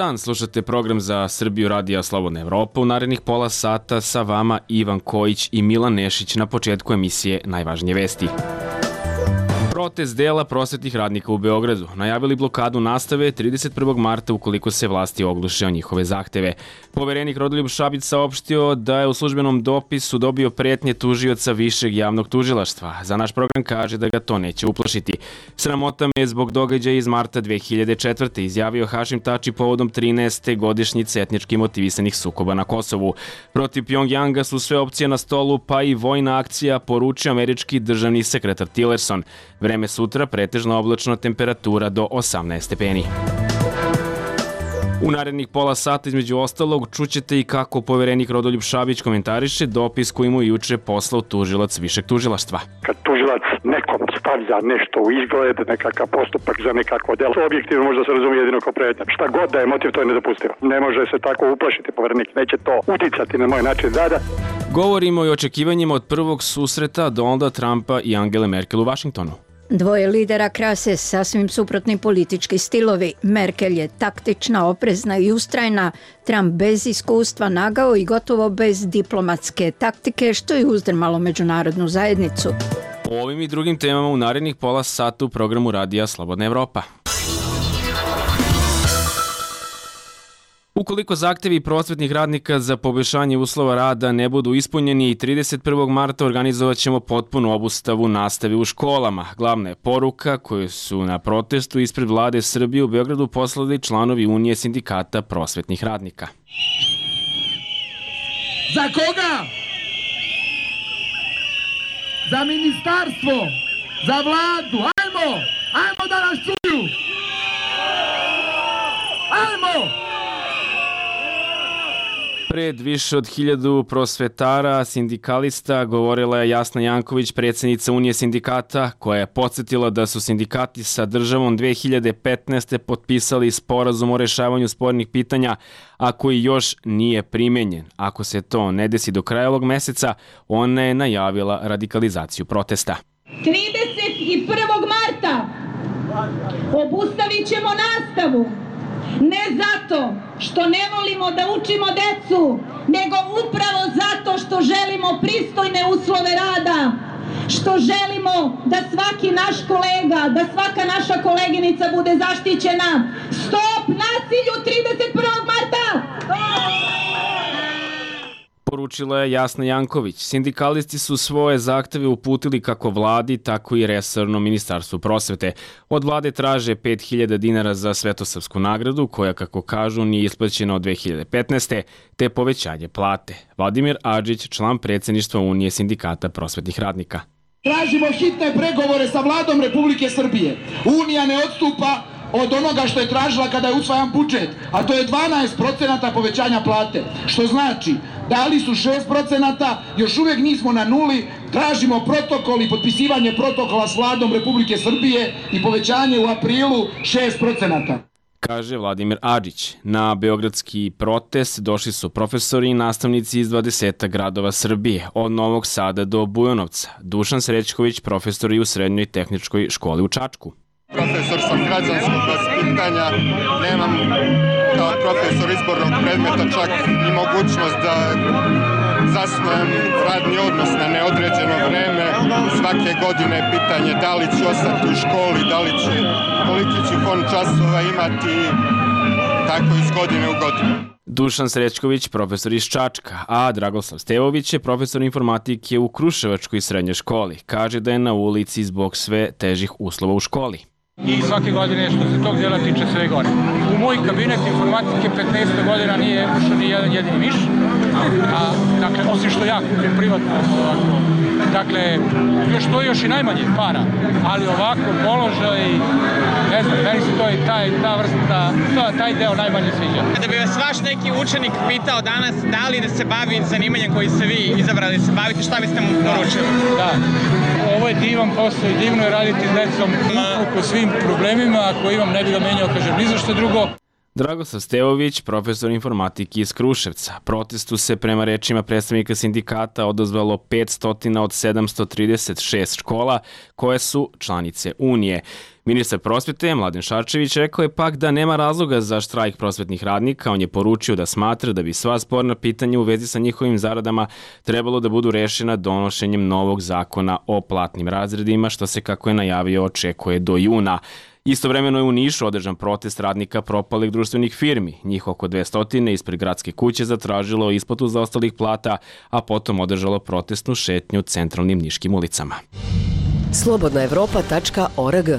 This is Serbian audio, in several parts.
dan, slušate program za Srbiju Radija Slobodna Evropa. U narednih pola sata sa vama Ivan Kojić i Milan Nešić na početku emisije Najvažnije vesti. Protest dela prosvetnih radnika u Beogradu najavili blokadu nastave 31. marta ukoliko se vlasti ogluše o njihove zahteve. Poverenik Rodoljub Šabić saopštio da je u službenom dopisu dobio pretnje tužioca Višeg javnog tužilaštva. Za naš program kaže da ga to neće uplašiti. Sramota me je zbog događaja iz marta 2004. izjavio Hašim Tači povodom 13. godišnjice etnički motivisanih sukoba na Kosovu. Protiv Pjongjanga su sve opcije na stolu, pa i vojna akcija, poručio američki državni sekretar Tillerson. Vreme sutra pretežno oblačno, temperatura do 18 stepeni. U narednih pola sata između ostalog čućete i kako poverenik Rodoljub Šabić komentariše dopis koji mu juče poslao tužilac Višeg tužilaštva. Kad tužilac nekom stavlja nešto u izgled, nekakav postupak za nekakvo delo, objektivno može da se razumije jedino kao pretnja. Šta god da je motiv, to je nedopustivo. Ne može se tako uplašiti poverenik, neće to uticati na moj način rada. Govorimo i o očekivanjima od prvog susreta Donalda Trumpa i Angele Merkel u Vašingtonu. Dvoje lidera krase sasvim suprotni politički stilovi. Merkel je taktična, oprezna i ustrajna, Trump bez iskustva, nagao i gotovo bez diplomatske taktike, što je uzdrmalo međunarodnu zajednicu. O ovim i drugim temama u narednih pola sata u programu Radija Slobodna Evropa. Ukoliko zahtevi prosvetnih radnika za poboljšanje uslova rada ne budu ispunjeni, 31. marta organizovat ćemo potpunu obustavu nastave u školama. Glavna je poruka koju su na protestu ispred vlade Srbije u Beogradu poslali članovi Unije sindikata prosvetnih radnika. Za koga? Za ministarstvo, za vladu. Ajmo da nas čuju. Ajmo! Pred više od 1000 prosvetara, sindikalista, govorila je Jasna Janković, predsjednica Unije sindikata, koja je podsjetila da su sindikati sa državom 2015. potpisali sporazum o rešavanju spornih pitanja, a koji još nije primenjen. Ako se to ne desi do kraja ovog meseca, ona je najavila radikalizaciju protesta. 31. marta obustavit ćemo nastavu. Ne zato što ne volimo da učimo decu, nego upravo zato što želimo pristojne uslove rada, što želimo da svaki naš kolega, da svaka naša koleginica bude zaštićena. Stop nasilju 31. marta! Poručila je Jasna Janković. Sindikalisti su svoje zahteve uputili kako vladi, tako i resornom ministarstvu prosvete. Od vlade traže 5000 dinara za svetosavsku nagradu, koja, kako kažu, nije isplaćena od 2015. te povećanje plate. Vladimir Adžić, član predsjedništva Unije sindikata prosvetnih radnika. Tražimo hitne pregovore sa vladom Republike Srbije. Unija ne odstupa od onoga što je tražila kada je usvajan budžet, a to je 12% povećanja plate. Što znači, dali su 6%, još uvijek nismo na nuli, tražimo protokol i potpisivanje protokola s vladom Republike Srbije i povećanje u aprilu 6%. Kaže Vladimir Adžić. Na beogradski protest došli su profesori i nastavnici iz 20 gradova Srbije, od Novog Sada do Bujanovca. Dušan Srećković, profesor i u Srednjoj tehničkoj školi u Čačku. Profesor sam građanskog vaspitanja, nemam kao profesor izbornog predmeta čak i mogućnost da zasnujem radni odnos na neodređeno vreme. Svake godine je pitanje da li ću ostati u školi, koliki ću fond časova imati, tako iz godine u godinu. Dušan Srećković, profesor iz Čačka, a Dragoslav Stevović je profesor informatike u Kruševačkoj srednjoj školi. Kaže da je na ulici zbog sve težih uslova u školi. I svake godine što se tog djela tiče sve gore. U moj kabinet informatike 15 godina nije ušao ni jedan jedini miš, dakle, osim što ja kupim privatno ovako. Dakle, još i najmanje para, ali ovako položaj, ne znam, meni se to i ta vrsta, taj deo najmanje sviđa. Da bi vas vaš neki učenik pitao danas da li da se bavi zanimanjem koji ste vi izabrali da se bavite, šta biste mu poručili? Da, ovo je divan posao i divno je raditi s decom uprko svim problemima, ako imam ne bi ga menjao, kažem, ni za što drugo. Dragoslav Stevović, profesor informatike iz Kruševca. Protestu se prema rečima predstavnika sindikata odazvalo 500 od 736 škola koje su članice Unije. Ministar prosvete Mladen Šarčević rekao je pak da nema razloga za štrajk prosvetnih radnika. On je poručio da smatra da bi sva sporna pitanja u vezi sa njihovim zaradama trebalo da budu rešena donošenjem novog zakona o platnim razredima, što se, kako je najavio, očekuje do juna. Istovremeno je u Nišu održan protest radnika propalih društvenih firmi. Njih oko 200 ispred gradske kuće zatražilo isplatu zaostalih plata, a potom održalo protestnu šetnju centralnim niškim ulicama. Slobodnaevropa.org.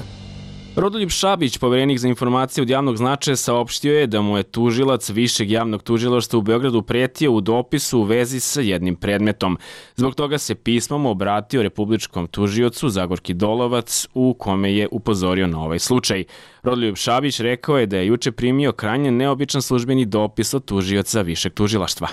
Rodoljub Šabić, poverenik za informacije od javnog značaja, saopštio je da mu je tužilac Višeg javnog tužilaštva u Beogradu pretio u dopisu u vezi sa jednim predmetom. Zbog toga se pismom obratio republičkom tužiocu Zagorki Dolovac, u kome je upozorio na ovaj slučaj. Rodoljub Šabić rekao je da je juče primio krajnje neobičan službeni dopis od tužioca Višeg tužilaštva.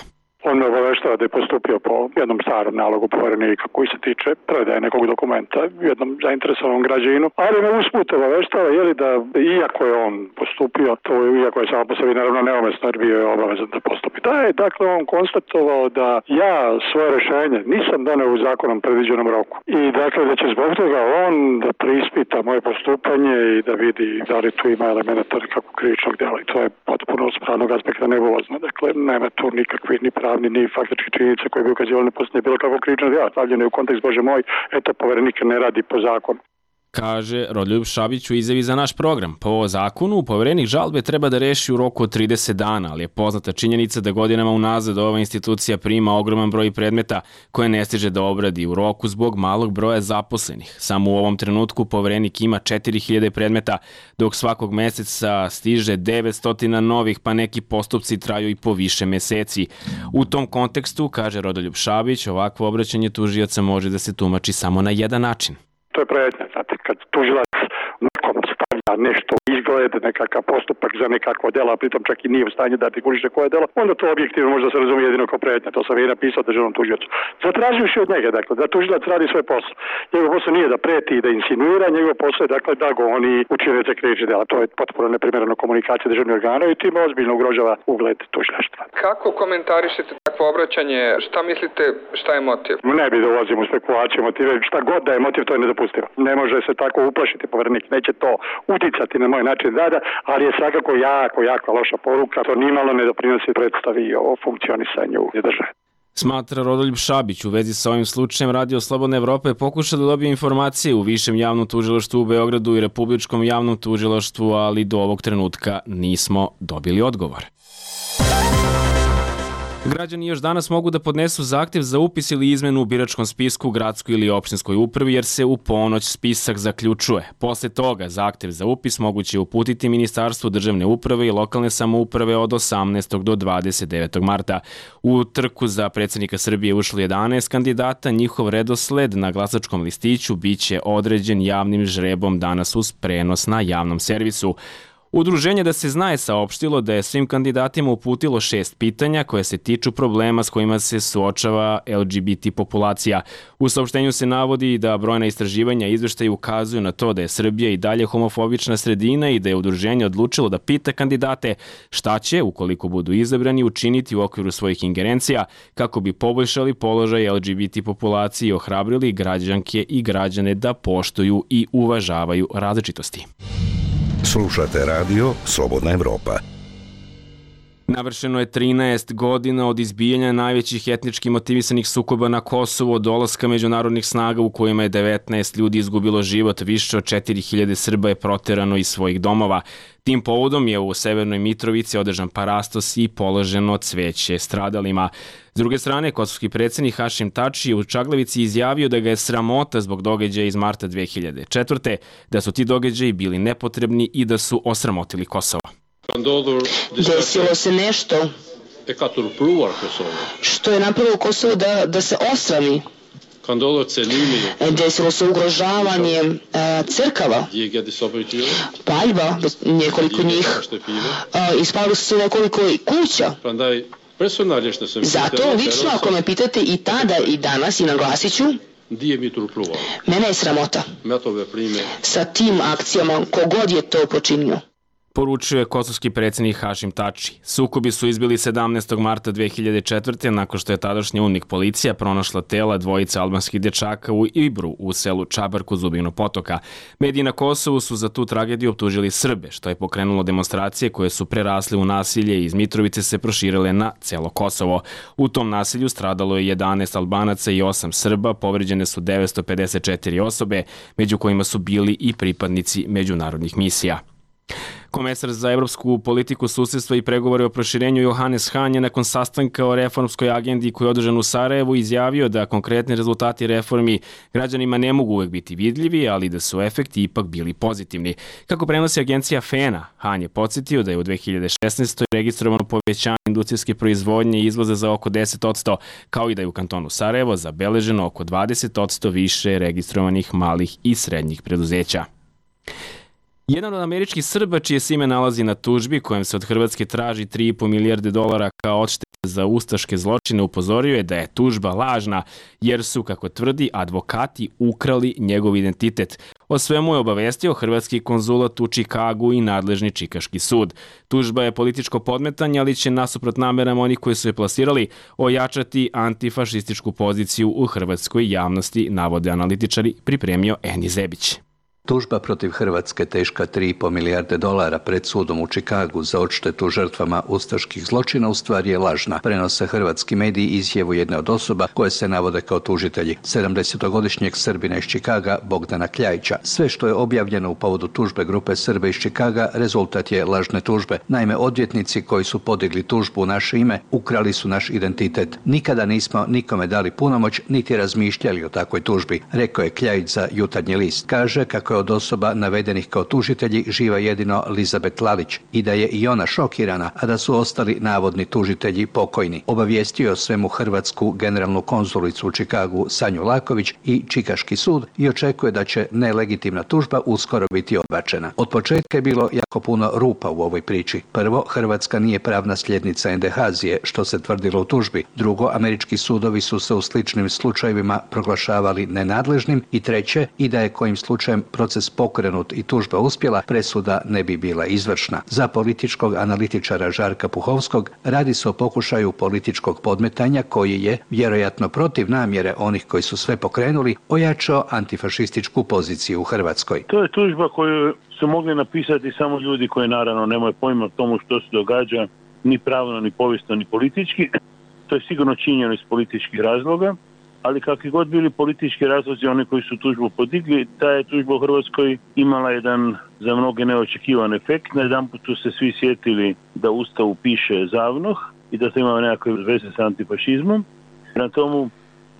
On me obaveštava da je postupio po jednom starom nalogu poverenika koji se tiče predaje nekog dokumenta jednom zainteresovanom građaninu, ali me usput obaveštava da iako je on postupio, to iako je samo po sebi naravno neumesno jer bio je obavezan da postupi. Da je dakle on konstatovao da ja svoje rešenje nisam doneo u zakonom predviđenom roku i dakle da će zbog toga on da preispita moje postupanje i da vidi da li tu ima elementa nekakvog krivičnog dela i to je potpuno s pravnog aspekta nebulozno. Dakle, nema tu nikakvih ni pravni ni faktički činjenica koje bi ukazivali na postojanje bilo kakvog krivičnog dela. Stavljeno je u kontekst, Bože moj, eto, poverenik ne radi po zakonu. Kaže Rodoljub Šabić u izjavi za naš program. Po zakonu, poverenik žalbe treba da reši u roku od 30 dana, ali je poznata činjenica da godinama unazad ova institucija prima ogroman broj predmeta koje ne stiže da obradi u roku zbog malog broja zaposlenih. Samo u ovom trenutku poverenik ima 4000 predmeta, dok svakog meseca stiže 900 novih, pa neki postupci traju i po više meseci. U tom kontekstu, kaže Rodoljub Šabić, ovakvo obraćanje tužioca može da se tumači samo na jedan način. To je pretnja, znate, kad tužilac nekom stavlja nešto u izgled, nekakav postupak za nekakvo delo, a pritom čak i nije u stanju da artikuliše koje delo, onda to objektivno može da se razumije jedino kao pretnja. To sam i napisao državnom tužiocu. Zatraživši od njega, dakle, da tužilac radi svoj posao. Njegov posao nije da preti i da insinuira, njegov posao je, dakle, da goni učinioce krivičnih dela. To je potpuno neprimjereno komunikacija državnih organa i time ozbiljno ugrožava ugled tužilaštva. Kako komentarišete takvo obraćanje? Šta mislite, šta je motiv? Ne bi da ulazim u spekulacije motive. Šta god da je motiv, to je nedopustivo. Ne može se tako uplašiti poverenik. Neće to uticati na moj način rada, ali je svakako jako loša poruka. To nimalo ne doprinosi predstavi o funkcionisanju države. Smatra Rodoljub Šabić. U vezi sa ovim slučajem Radio Slobodna Evropa je pokušao da dobije informacije u Višem javnom tužilaštvu u Beogradu i Republičkom javnom tužilaštvu, ali do ovog trenutka nismo dobili odgovor. Građani još danas mogu da podnesu zahtev za upis ili izmenu u biračkom spisku, gradskoj ili opštinskoj upravi, jer se u ponoć spisak zaključuje. Posle toga zahtev za upis moguće je uputiti Ministarstvu državne uprave i lokalne samouprave od 18. do 29. marta. U trku za predsjednika Srbije ušlo 11 kandidata, njihov redosled na glasačkom listiću biće određen javnim žrebom danas uz prenos na javnom servisu. Udruženje Da se zna je saopštilo da je svim kandidatima uputilo 6 pitanja koje se tiču problema s kojima se suočava LGBT populacija. U saopštenju se navodi da brojna istraživanja i izveštaji ukazuju na to da je Srbija i dalje homofobična sredina i da je udruženje odlučilo da pita kandidate šta će, ukoliko budu izabrani, učiniti u okviru svojih ingerencija kako bi poboljšali položaj LGBT populacije i ohrabrili građanke i građane da poštuju i uvažavaju različitosti. Slušate radio Slobodna Evropa. Navršeno je 13 godina od izbijanja najvećih etnički motivisanih sukoba na Kosovu, od dolaska međunarodnih snaga u kojima je 19 ljudi izgubilo život, više od 4000 Srba je proterano iz svojih domova. Tim povodom je u Severnoj Mitrovici održan parastos i položeno cveće stradalima. S druge strane, kosovski predsjednik Hašim Tači je u Čaglavici izjavio da ga je sramota zbog događaja iz marta 2004. da su ti događaji bili nepotrebni i da su osramotili Kosovo. Desilo se nešto što je napravilo Kosovo da se osrami. Desilo se ugrožavanje crkava, paljba, nekoliko njih, ispali su se nekoliko kuća. Zato lično, ako me pitate i tada i danas, i naglasit ću, mene je sramota sa tim akcijama, kogod je to počinio. poručio je kosovski predsjednik Hašim Tači. Sukobi su izbili 17. marta 2004. nakon što je tadašnja UNMIK policija pronašla tela dvojice albanskih dječaka u Ibru u selu Čabar kod Zubinog potoka. Mediji na Kosovu su za tu tragediju optužili Srbe, što je pokrenulo demonstracije koje su prerasle u nasilje i iz Mitrovice se proširile na celo Kosovo. U tom nasilju stradalo je 11 Albanaca i 8 Srba, povređene su 954 osobe, među kojima su bili i pripadnici međunarodnih misija. Komesar za evropsku politiku, susjedstva i pregovore o proširenju Johannes Hahn je nakon sastanka o reformskoj agendi koji je održan u Sarajevu izjavio da konkretni rezultati reformi građanima ne mogu uvek biti vidljivi, ali da su efekti ipak bili pozitivni. Kako prenosi agencija FENA, Hahn je podsjetio da je u 2016. registrovano povećanje industrijske proizvodnje i izvoza za oko 10%, kao i da je u kantonu Sarajevo zabeleženo oko 20% više registrovanih malih i srednjih preduzeća. Jedan od američkih Srba, čije se ime nalazi na tužbi kojem se od Hrvatske traži 3,5 milijarde dolara kao odštete za ustaške zločine, upozorio je da je tužba lažna jer su, kako tvrdi, advokati ukrali njegov identitet. O svemu je obavestio hrvatski konzulat u Čikagu i nadležni čikaški sud. Tužba je političko podmetanje, ali će nasuprot namerama onih koji su je plasirali ojačati antifašističku poziciju u hrvatskoj javnosti, navode analitičari, pripremio Eni Zebić. Tužba protiv Hrvatske teška 3,5 milijarde dolara pred sudom u Čikagu za odštetu žrtvama ustaških zločina u stvari je lažna. Prenose hrvatski mediji izjavu jedne od osoba koje se navode kao tužitelji, 70-godišnjeg Srbina iz Čikaga Bogdana Kljajića. Sve što je objavljeno u povodu tužbe grupe Srba iz Čikaga rezultat je lažne tužbe. Naime, odvjetnici koji su podigli tužbu u naše ime ukrali su naš identitet. Nikada nismo nikome dali punomoć niti razmišljali o takvoj tužbi, rekao je Kljajić za Jutarnji list. Kaže kako je od osoba navedenih kao tužitelji živa jedino Elizabet Lalić i da je i ona šokirana, a da su ostali navodni tužitelji pokojni. Obavijestio je o svemu hrvatsku generalnu konzulicu u Čikagu Sanju Laković i Čikaški sud i očekuje da će nelegitimna tužba uskoro biti odbačena. Od početka je bilo jako puno rupa u ovoj priči. Prvo, Hrvatska nije pravna sljednica NDH-zije, što se tvrdilo u tužbi. Drugo, američki sudovi su se u sličnim slučajevima proglašavali nenadležnim. I treće, i da je kojim slučajem proces pokrenut i tužba uspjela, presuda ne bi bila izvršna. Za političkog analitičara Žarka Puhovskog radi se o pokušaju političkog podmetanja koji je, vjerojatno protiv namjere onih koji su sve pokrenuli, ojačao antifašističku poziciju u Hrvatskoj. To je tužba koju su mogli napisati samo ljudi koji naravno nemaju pojma o tomu što se događa, ni pravno, ni povijesno, ni politički. To je sigurno činjeno iz političkih razloga. Ali kakvi god bili politički razlozi, oni koji su tužbu podigli, ta je tužba u Hrvatskoj imala jedan za mnoge neočekivan efekt. Najedanput su se svi sjetili da u Ustavu piše ZAVNOH i da to ima nekakve veze sa antifašizmom. Na tomu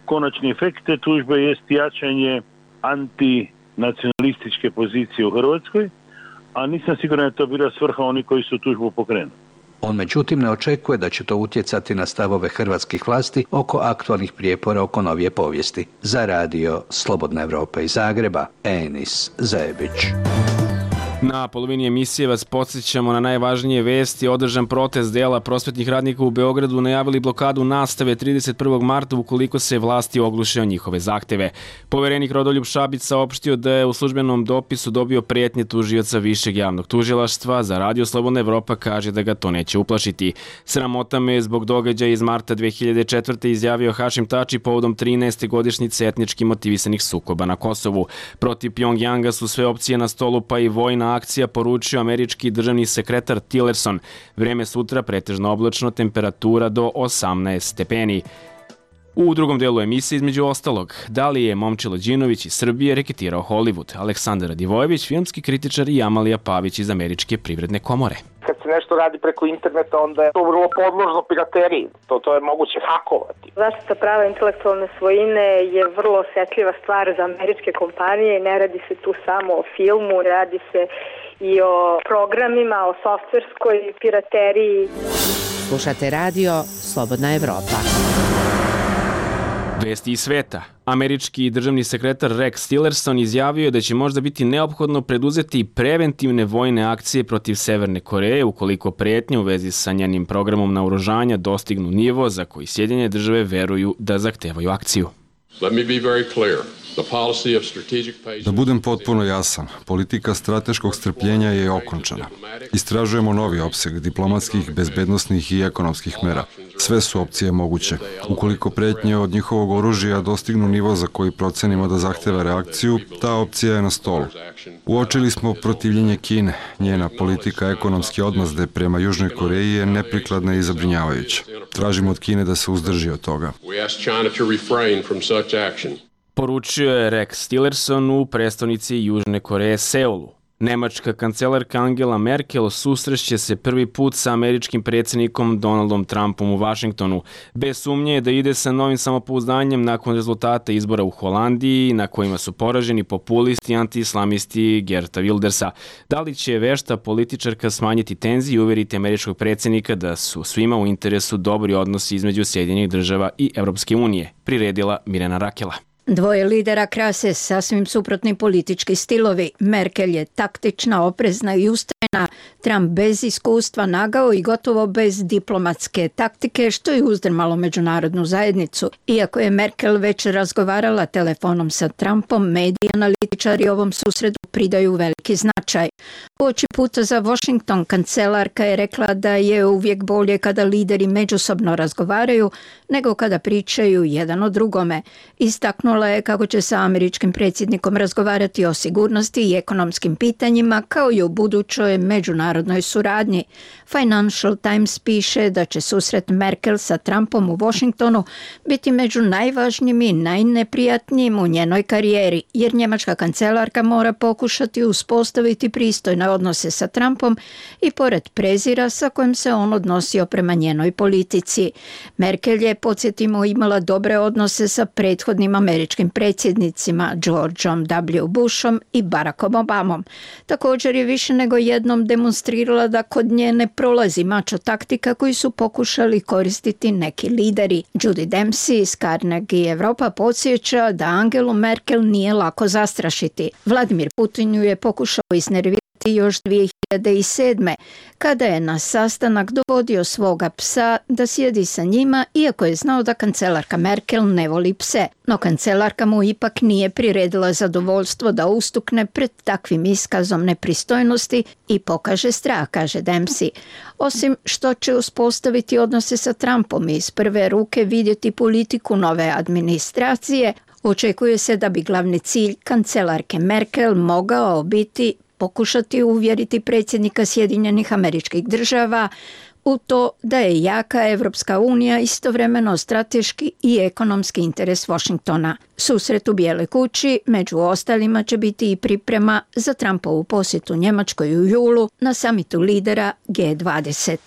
konačni efekt te tužbe jest jačanje antinacionalističke pozicije u Hrvatskoj, a nisam siguran da je to bila svrha oni koji su tužbu pokrenuli. On međutim ne očekuje da će to utjecati na stavove hrvatskih vlasti oko aktualnih prijepora oko novije povijesti. Za radio Slobodna Evropa iz Zagreba, Enis Zebić. Na polovini emisije vas podsjećamo na najvažnije vesti. Održan protest dela prosvetnih radnika u Beogradu najavili blokadu nastave 31. marta ukoliko se vlasti ogluše o njihove zahteve. Poverenik Rodoljub Šabić saopštio da je u službenom dopisu dobio prijetnje tužioca Višeg javnog tužilaštva. Za radio Slobodna Evropa kaže da ga to neće uplašiti. Sramota me zbog događaja iz marta 2004. izjavio Hašim Tači povodom 13. godišnjice etnički motivisanih sukoba na Kosovu. Protiv Pjongjanga su sve opcije na stolu, pa i vojna akcija, poručio američki državni sekretar Tillerson. Vreme sutra pretežno oblačno, temperatura do 18 stepeni. U drugom delu emisije, između ostalog, da li je Momčilo Đinović iz Srbije reketirao Hollywood, Aleksandar Radivojević, filmski kritičar i Amalija Pavić iz Američke privredne komore. Kad se nešto radi preko interneta, onda je to vrlo podložno pirateriji. To je moguće hakovati. Zaštita prava intelektualne svojine je vrlo osjetljiva stvar za američke kompanije. Ne radi se tu samo o filmu, radi se i o programima, o softverskoj pirateriji. Slušate radio Slobodna Evropa. Vesti iz sveta. Američki državni sekretar Rex Tillerson izjavio je da će možda biti neophodno preduzeti preventivne vojne akcije protiv Severne Koreje ukoliko prijetnje u vezi sa njenim programom naoružanja dostignu nivo za koji Sjedinjene države veruju da zahtevaju akciju. Let me be very clear. Da budem potpuno jasan, politika strateškog strpljenja je okončana. Istražujemo novi opseg diplomatskih, bezbednosnih i ekonomskih mera. Sve su opcije moguće. Ukoliko pretnje od njihovog oružja dostignu nivo za koji procenimo da zahteva reakciju, ta opcija je na stolu. Uočili smo protivljenje Kine. Njena politika ekonomske odmazde prema Južnoj Koreji je neprikladna i zabrinjavajuća. Tražimo od Kine da se uzdrži od toga. Poručio je Rex Tillerson u prestonici Južne Koreje Seulu. Nemačka kancelarka Angela Merkel susreće se prvi put sa američkim predsjednikom Donaldom Trumpom u Vašingtonu. Bez sumnje je da ide sa novim samopouzdanjem nakon rezultata izbora u Holandiji, na kojima su poraženi populisti i anti-islamisti Geerta Wildersa. Da li će vešta političarka smanjiti tenzije i uveriti američkog predsjednika da su svima u interesu dobri odnosi između Sjedinjenih Država i Evropske unije, priredila Mirjana Rakela. Dvoje lidera krase sasvim suprotni politički stilovi. Merkel je taktična, oprezna i ustrajna, Trump bez iskustva, nagao i gotovo bez diplomatske taktike, što je uzdrmalo međunarodnu zajednicu. Iako je Merkel već razgovarala telefonom sa Trumpom, mediji analitičari ovom susretu pridaju veliki značaj. Uoči puta za Washington kancelarka je rekla da je uvijek bolje kada lideri međusobno razgovaraju nego kada pričaju jedan o drugome. Istaknula je kako će sa američkim predsjednikom razgovarati o sigurnosti i ekonomskim pitanjima kao i o budućoj međunarodnoj suradnji. Financial Times piše da će susret Merkel sa Trumpom u Washingtonu biti među najvažnijim i najneprijatnijim u njenoj karijeri, jer njemačka kancelarka mora pokušati uspostaviti pristojne odnose sa Trumpom i pored prezira sa kojim se on odnosio prema njenoj politici. Merkel je, podsjetimo, imala dobre odnose sa prethodnim američkim predsjednicima Georgeom W. Bushom i Barackom Obamom. Također je više nego jednom demonstrirala da kod nje ne prolazi mačo taktika koju su pokušali koristiti neki lideri. Judy Dempsey iz Carnegie Europa podsjeća da Angelu Merkel nije lako zastrašiti. Vladimir Putin ju je pokušao iznervirati još 2007. kada je na sastanak dovodio svoga psa da sjedi sa njima, iako je znao da kancelarka Merkel ne voli pse. No kancelarka mu ipak nije priredila zadovoljstvo da ustukne pred takvim iskazom nepristojnosti i pokaže strah, kaže Dempsey. Osim što će uspostaviti odnose sa Trumpom i iz prve ruke vidjeti politiku nove administracije, očekuje se da bi glavni cilj kancelarke Merkel mogao biti pokušati uvjeriti predsjednika Sjedinjenih Američkih Država u to da je jaka Evropska unija istovremeno strateški i ekonomski interes Washingtona. Susret u Bijeloj kući među ostalima će biti i priprema za Trumpovu posjetu Njemačkoj u julu na samitu lidera G20.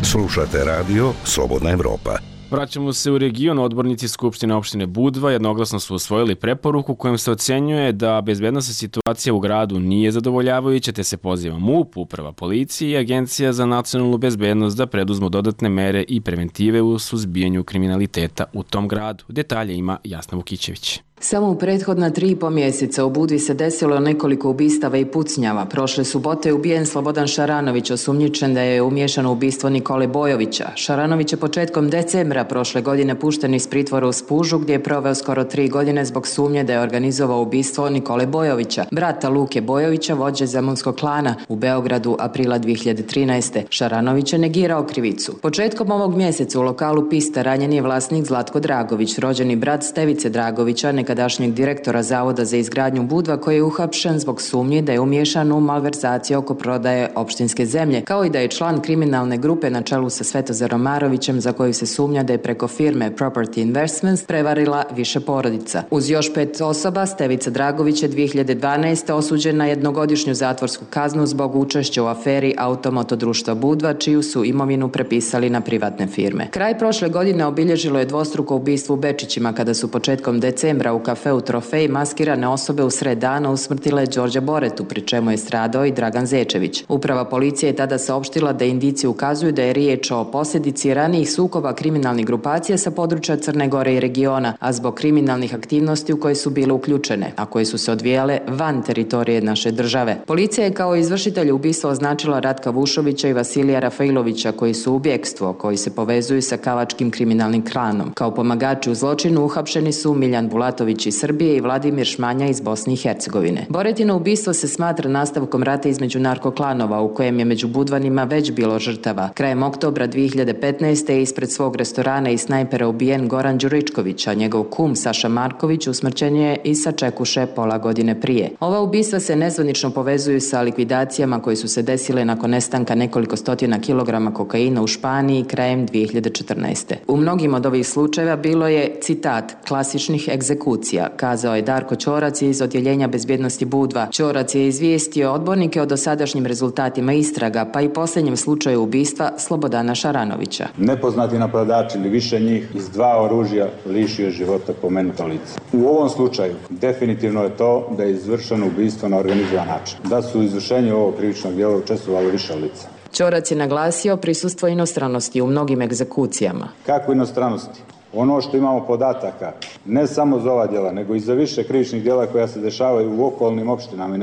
Slušate radio Slobodna Evropa. Vraćamo se u region. Odbornici Skupštine opštine Budva jednoglasno su usvojili preporuku kojom se ocenjuje da bezbednosna situacija u gradu nije zadovoljavajuća, te se poziva MUP, Uprava policije i Agencija za nacionalnu bezbednost da preduzmu dodatne mere i preventive u suzbijanju kriminaliteta u tom gradu. Detalje ima Jasna Vukićević. Samo u prethodna 3,5 mjeseca u Budvi se desilo nekoliko ubistava i pucnjava. Prošle subote je ubijen Slobodan Šaranović, osumnjičen da je umiješan u ubistvo Nikole Bojovića. Šaranović je početkom decembra prošle godine pušten iz pritvora u Spužu, gdje je proveo skoro 3 godine zbog sumnje da je organizovao ubistvo Nikole Bojovića, brata Luke Bojovića, vođe zemunskog klana u Beogradu aprila 2013. Šaranović je negirao krivicu. Početkom ovog mjeseca u lokalu Pista ranjen je vlasnik Zlatko Dragović, rođeni brat Stevice Dragovića, nekadašnjeg direktora Zavoda za izgradnju Budva, koji je uhapšen zbog sumnji da je umiješan u malverzaciju oko prodaje opštinske zemlje, kao i da je član kriminalne grupe na čelu sa Svetozarom Marovićem, za koju se sumnja da je preko firme Property Investments prevarila više porodica. Uz još 5 osoba, Stevica Dragović je 2012. osuđen na jednogodišnju zatvorsku kaznu zbog učešća u aferi Automoto društva Budva, čiju su imovinu prepisali na privatne firme. Kraj prošle godine obilježilo je dvostruko ubistvo u Bečićima, kada su početkom decembra u kafeu Trofej maskirane osobe u sred dana usmrtile Đorđa Boretu, pri čemu je stradao i Dragan Zečević. Uprava policije je tada saopštila da indicije ukazuju da je riječ o posljedici ranijih sukoba kriminalnih grupacija sa područja Crne Gore i regiona, a zbog kriminalnih aktivnosti u koje su bile uključene, a koje su se odvijale van teritorije naše države. Policija je kao izvršitelj ubistva označila Ratka Vušovića i Vasilija Rafailovića, koji su u bjekstvu, koji se povezuju sa kavačkim kriminalnim klanom. Kao pomagači u zločinu uhapšeni su Miljan Bulatović Bulatović iz Srbije i Vladimir Šmanja iz Bosne i Hercegovine. Boretino ubistvo se smatra nastavkom rata između narkoklanova u kojem je među Budvanima već bilo žrtava. Krajem oktobra 2015. je ispred svog restorana i snajpera ubijen Goran Đuričković, a njegov kum Saša Marković usmrćen je i sa Čekuše pola godine prije. Ova ubistva se nezvanično povezuju sa likvidacijama koje su se desile nakon nestanka nekoliko stotina kilograma kokaina u Španiji krajem 2014. U mnogim od ovih slučajeva bilo je, citat, klasičnih egzekucija, kazao je Darko Ćorac iz Odjeljenja bezbjednosti Budva. Ćorac je izvijestio odbornike o dosadašnjim rezultatima istraga, pa i posljednjem slučaju ubistva Slobodana Šaranovića. Nepoznati napadač ili više njih iz 2 oružja lišio života pomenuto lice. U ovom slučaju definitivno je to da je izvršeno ubistvo na organizovan način, da su u izvršenju ovog krivičnog djela učestvovalo više lica. Ćorac je naglasio prisustvo inostranosti u mnogim egzekucijama. Kako inostranosti? Ono što imamo podataka, ne samo za ova djela, nego i za više krivičnih djela koja se dešavaju u okolnim opštinama i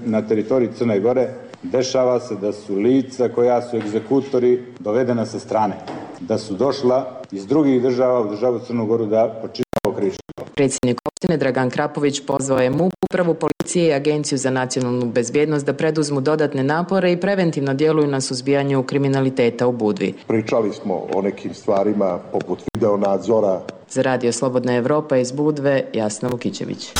na teritoriji Crne Gore, dešava se da su lica koja su egzekutori dovedena sa strane, da su došla iz drugih država u državu Crnu Goru da počine ovo krivično. Predsjednik opštine Dragan Krapović pozvao je MUP, upravu policije i Agenciju za nacionalnu bezbjednost da preduzmu dodatne napore i preventivno djeluju na suzbijanju kriminaliteta u Budvi. Pričali smo o nekim stvarima poput videonadzora. Za Radio Slobodna Evropa iz Budve, Jasna Vukićević.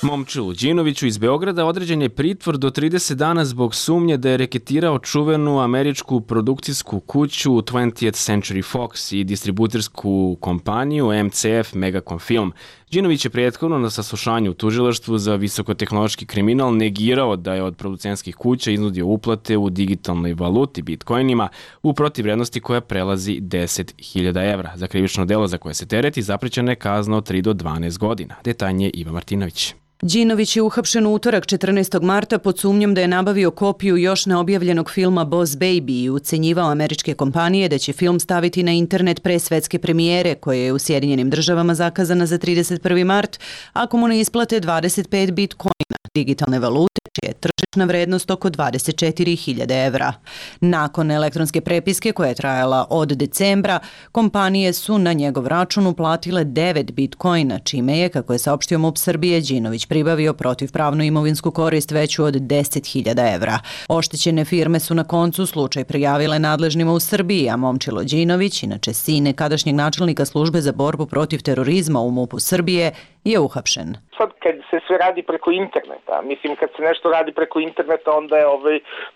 Momčilu Đinoviću iz Beograda određen je pritvor do 30 dana zbog sumnje da je reketirao čuvenu američku produkcijsku kuću 20th Century Fox i distributersku kompaniju MCF Megacom Film. Đinović je prethodno na saslušanju u tužilaštvu za visokotehnološki kriminal negirao da je od producentskih kuća iznudio uplate u digitalnoj valuti bitcoinima u protivvrednosti koja prelazi 10.000 evra. Za krivično delo za koje se tereti zaprećena je kazna od 3 do 12 godina. Detaljnije Iva Martinović. Đinović je uhapšen u utorak 14. marta pod sumnjom da je nabavio kopiju još neobjavljenog filma Boss Baby i ucenjivao američke kompanije da će film staviti na internet pre svetske premijere koje je u Sjedinjenim Državama zakazana za 31. mart ako mu ne isplate 25 bitcoina, digitalne valute, čija je tržišna vrednost oko 24.000 evra. Nakon elektronske prepiske koja je trajala od decembra, kompanije su na njegov račun uplatile 9 bitcoina, čime je, kako je saopštio MUP Srbije, Đinović pribavio protivpravnu imovinsku korist veću od 10.000 evra. Oštećene firme su na koncu slučaj prijavile nadležnima u Srbiji, a Momčilo Đinović, inače sin nekadašnjeg načelnika službe za borbu protiv terorizma u MUP-u Srbije, je uhapšen. Sad kad se sve radi preko interneta, mislim kad se nešto radi preko interneta onda je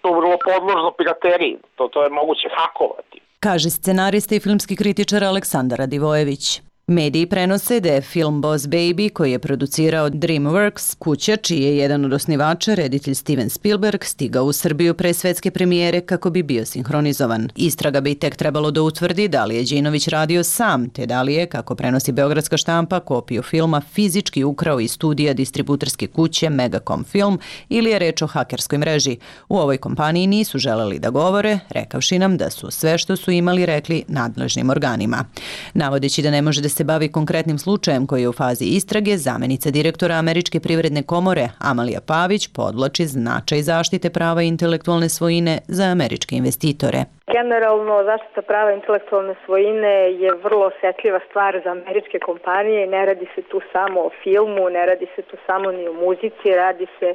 to vrlo podložno pirateriji, to je moguće hakovati. Kaže scenarista i filmski kritičar Aleksandar Radivojević. Mediji prenose da je film Boss Baby, koji je producirao DreamWorks, kuća čiji je jedan od osnivača, reditelj Steven Spielberg, stigao u Srbiju pre svetske premijere kako bi bio sinhronizovan. Istraga bi tek trebalo da utvrdi da li je Đinović radio sam, te da li je, kako prenosi beogradska štampa, kopiju filma fizički ukrao iz studija distributerske kuće Megacom Film ili je reč o hakerskoj mreži. U ovoj kompaniji nisu želeli da govore, rekavši nam da su sve što su imali rekli nadležnim organima. Navodeći da ne može da se bavi konkretnim slučajem koji je u fazi istrage, zamenica direktora Američke privredne komore Amalija Pavić podvlači značaj zaštite prava intelektualne svojine za američke investitore. Generalno, zaštita prava intelektualne svojine je vrlo osjetljiva stvar za američke kompanije. Ne radi se tu samo o filmu, ne radi se tu samo ni o muzici, radi se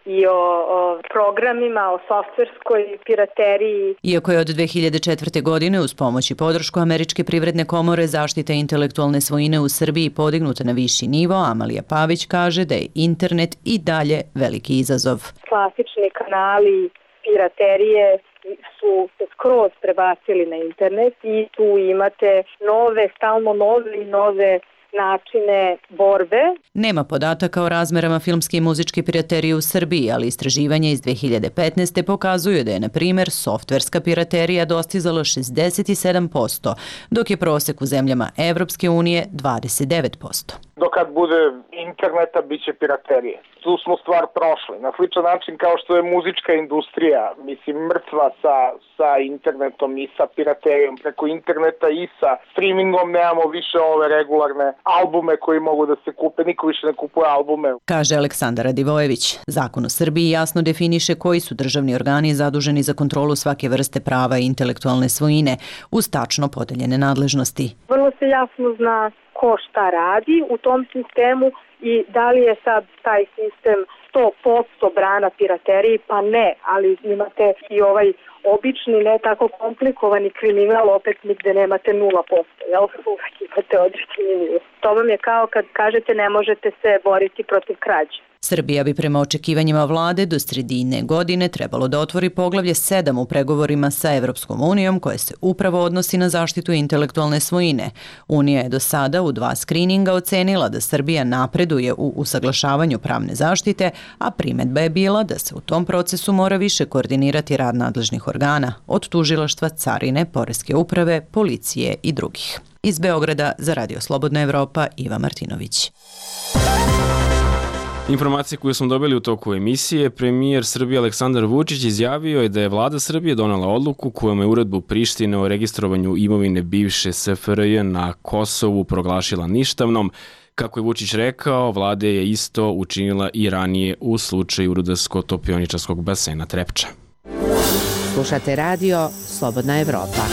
i o programima, o softverskoj pirateriji. Iako je od 2004. godine uz pomoć i podršku Američke privredne komore zaštita intelektualne svojine u Srbiji podignuta na viši nivo, Amalija Pavić kaže da je internet i dalje veliki izazov. Klasični kanali piraterije su se skroz prebacili na internet i tu imate stalno nove načine borbe. Nema podataka o razmerama filmske i muzičke piraterije u Srbiji, ali istraživanja iz 2015. pokazuju da je, na primjer, softverska piraterija dostizala 67%, dok je prosek u zemljama Evropske unije 29%. Dokad bude interneta, bit će piraterije. Tu smo stvar prošli. Na sličan način kao što je muzička industrija, mrtva sa internetom i sa piraterijom preko interneta i sa streamingom, nemamo više ove regularne albume koji mogu da se kupe. Niko više ne kupuje albume. Kaže Aleksandar Radivojević. Zakon u Srbiji jasno definiše koji su državni organi zaduženi za kontrolu svake vrste prava i intelektualne svojine uz tačno podeljene nadležnosti. Vrlo se jasno zna ko šta radi u tom sistemu i da li je sad taj sistem 100% brana pirateriji, pa ne, ali imate i ovaj obični, ne tako komplikovani kriminal, opet nigde nemate 0%, jel? Uvijek imate određeni nivo. To vam je kao kad kažete ne možete se boriti protiv krađe. Srbija bi prema očekivanjima vlade do sredine godine trebalo da otvori poglavlje 7 u pregovorima sa Evropskom unijom koje se upravo odnosi na zaštitu intelektualne svojine. Unija je do sada u 2 skrininga ocenila da Srbija napreduje u usaglašavanju pravne zaštite, a primedba je bila da se u tom procesu mora više koordinirati rad nadležnih organa, od tužilaštva, carine, poreske uprave, policije i drugih. Iz Beograda za Radio Slobodna Evropa, Iva Martinović. Informacije koje smo dobili u toku emisije, premijer Srbije Aleksandar Vučić izjavio je da je vlada Srbije donela odluku kojom je uredbu Prištine o registrovanju imovine bivše SFRJ na Kosovu proglašila ništavnom. Kako je Vučić rekao, vlada je isto učinila i ranije u slučaju Rudarsko-topioničarskog basena Trepča. Slušate radio Slobodna Evropa.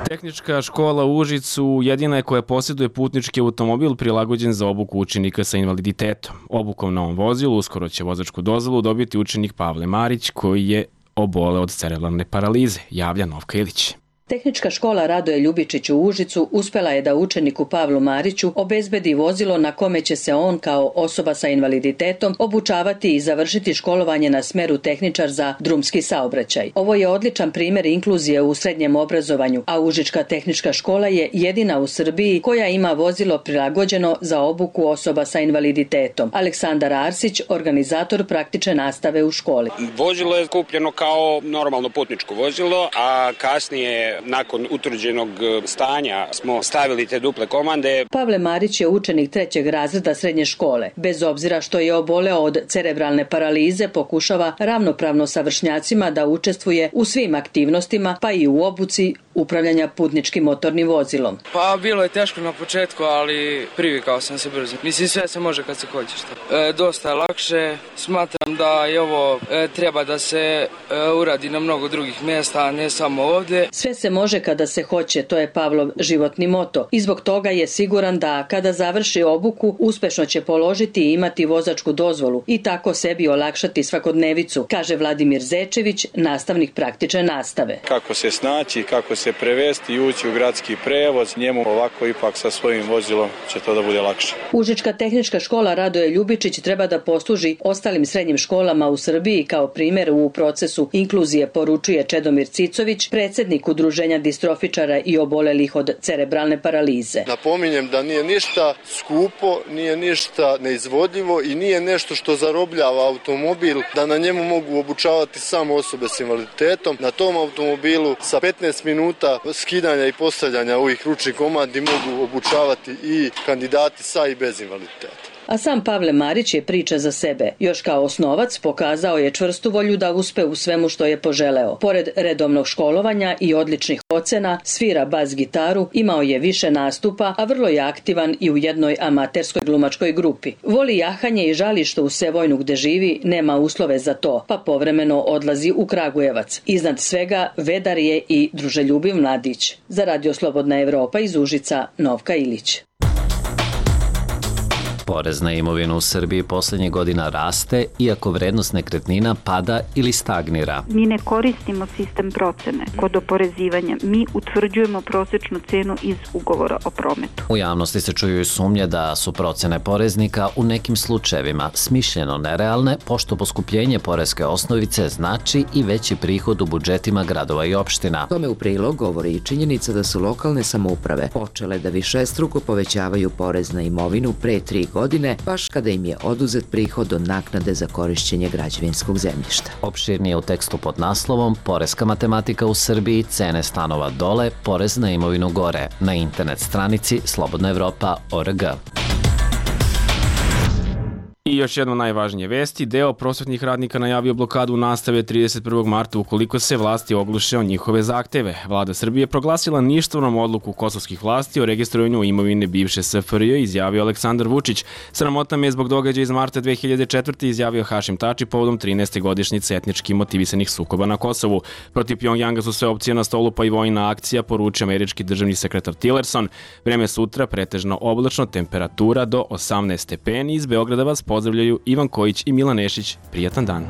Tehnička škola u Užicu jedina je koja posjeduje putnički automobil prilagođen za obuku učenika sa invaliditetom. Obukom na ovom vozilu uskoro će vozačku dozvolu dobiti učenik Pavle Marić koji je oboleo od cerebralne paralize, javlja Novka Ilić. Tehnička škola Radoje Ljubičić u Užicu uspela je da učeniku Pavlu Mariću obezbedi vozilo na kome će se on kao osoba sa invaliditetom obučavati i završiti školovanje na smeru tehničar za drumski saobraćaj. Ovo je odličan primjer inkluzije u srednjem obrazovanju, a Užička tehnička škola je jedina u Srbiji koja ima vozilo prilagođeno za obuku osoba sa invaliditetom. Aleksandar Arsić, organizator praktične nastave u školi. Vozilo je kupljeno kao normalno putničko vozilo, a kasnije nakon utvrđenog stanja smo stavili te duple komande. Pavle Marić je učenik 3. razreda srednje škole. Bez obzira što je oboleo od cerebralne paralize, pokušava ravnopravno sa vršnjacima da učestvuje u svim aktivnostima, pa i u obuci upravljanja putničkim motornim vozilom. Pa bilo je teško na početku, ali privikao sam se brzo. Mislim, sve se može kad se hoće. Dosta je lakše. Smatram da i ovo treba da se uradi na mnogo drugih mjesta, a ne samo ovdje. Sve se može kada se hoće, to je Pavlov životni moto. I zbog toga je siguran da kada završi obuku, uspešno će položiti i imati vozačku dozvolu i tako sebi olakšati svakodnevicu, kaže Vladimir Zečević, nastavnik praktične nastave. Kako se snaći, kako se prevesti i ući u gradski prevoz, njemu ovako ipak sa svojim vozilom će to da bude lakše. Užička tehnička škola Radoje Ljubičić treba da posluži ostalim srednjim školama u Srbiji kao primjer u procesu inkluzije, poručuje Čedomir Cicović, predsjednik Udruženja distrofičara i obolelih od cerebralne paralize. Napominjem da nije ništa skupo, nije ništa neizvodljivo i nije nešto što zarobljava automobil, da na njemu mogu obučavati samo osobe s invaliditetom. Na tom automobilu sa 15 minuta skidanja i postavljanja ovih ručnih komandi mogu obučavati i kandidati sa i bez invaliditeta. A sam Pavle Marić je priča za sebe. Još kao osnovac pokazao je čvrstu volju da uspe u svemu što je poželeo. Pored redovnog školovanja i odličnih ocena, svira bas gitaru, imao je više nastupa, a vrlo je aktivan i u jednoj amaterskoj glumačkoj grupi. Voli jahanje i žali što u Sevojnu gde živi nema uslove za to, pa povremeno odlazi u Kragujevac. Iznad svega vedar je i druželjubiv mladić. Za Radio Slobodna Evropa iz Užica, Novka Ilić. Porez na imovinu u Srbiji posljednjih godina raste, iako vrednost nekretnina pada ili stagnira. Mi ne koristimo sistem procene kod oporezivanja. Mi utvrđujemo prosječnu cenu iz ugovora o prometu. U javnosti se čuju i sumnje da su procene poreznika u nekim slučajevima smišljeno nerealne, pošto poskupljenje poreske osnovice znači i veći prihod u budžetima gradova i opština. Tome u prilog govori i činjenica da su lokalne samouprave počele da višestruko povećavaju porez na imovinu pre 3 godine, baš kada im je oduzet prihod od naknade za korišćenje građevinskog zemljišta. Opširnije u tekstu pod naslovom Poreska matematika u Srbiji, cene stanova dole, porez na imovinu gore, na internet stranici slobodnaevropa.org. I još jedno najvažnije vesti, deo prosvetnih radnika najavio blokadu nastave 31. marta ukoliko se vlasti ogluše o njihove zahteve. Vlada Srbije proglasila ništavnom odluku kosovskih vlasti o registrovanju imovine bivše SFRJ, izjavio Aleksandar Vučić. Sramota me je zbog događaja iz marta 2004. izjavio Hašim Tači povodom 13. godišnjice etnički motivisanih sukoba na Kosovu. Protiv Pjongjanga su sve opcije na stolu pa i vojna akcija, poručio američki državni sekretar Tillerson. Vreme sutra pretežno oblačno, temperatura do 18 stepeni. Iz Beograda vas pozdravljaju Ivan Kojić i Milan Nešić. Prijatan dan.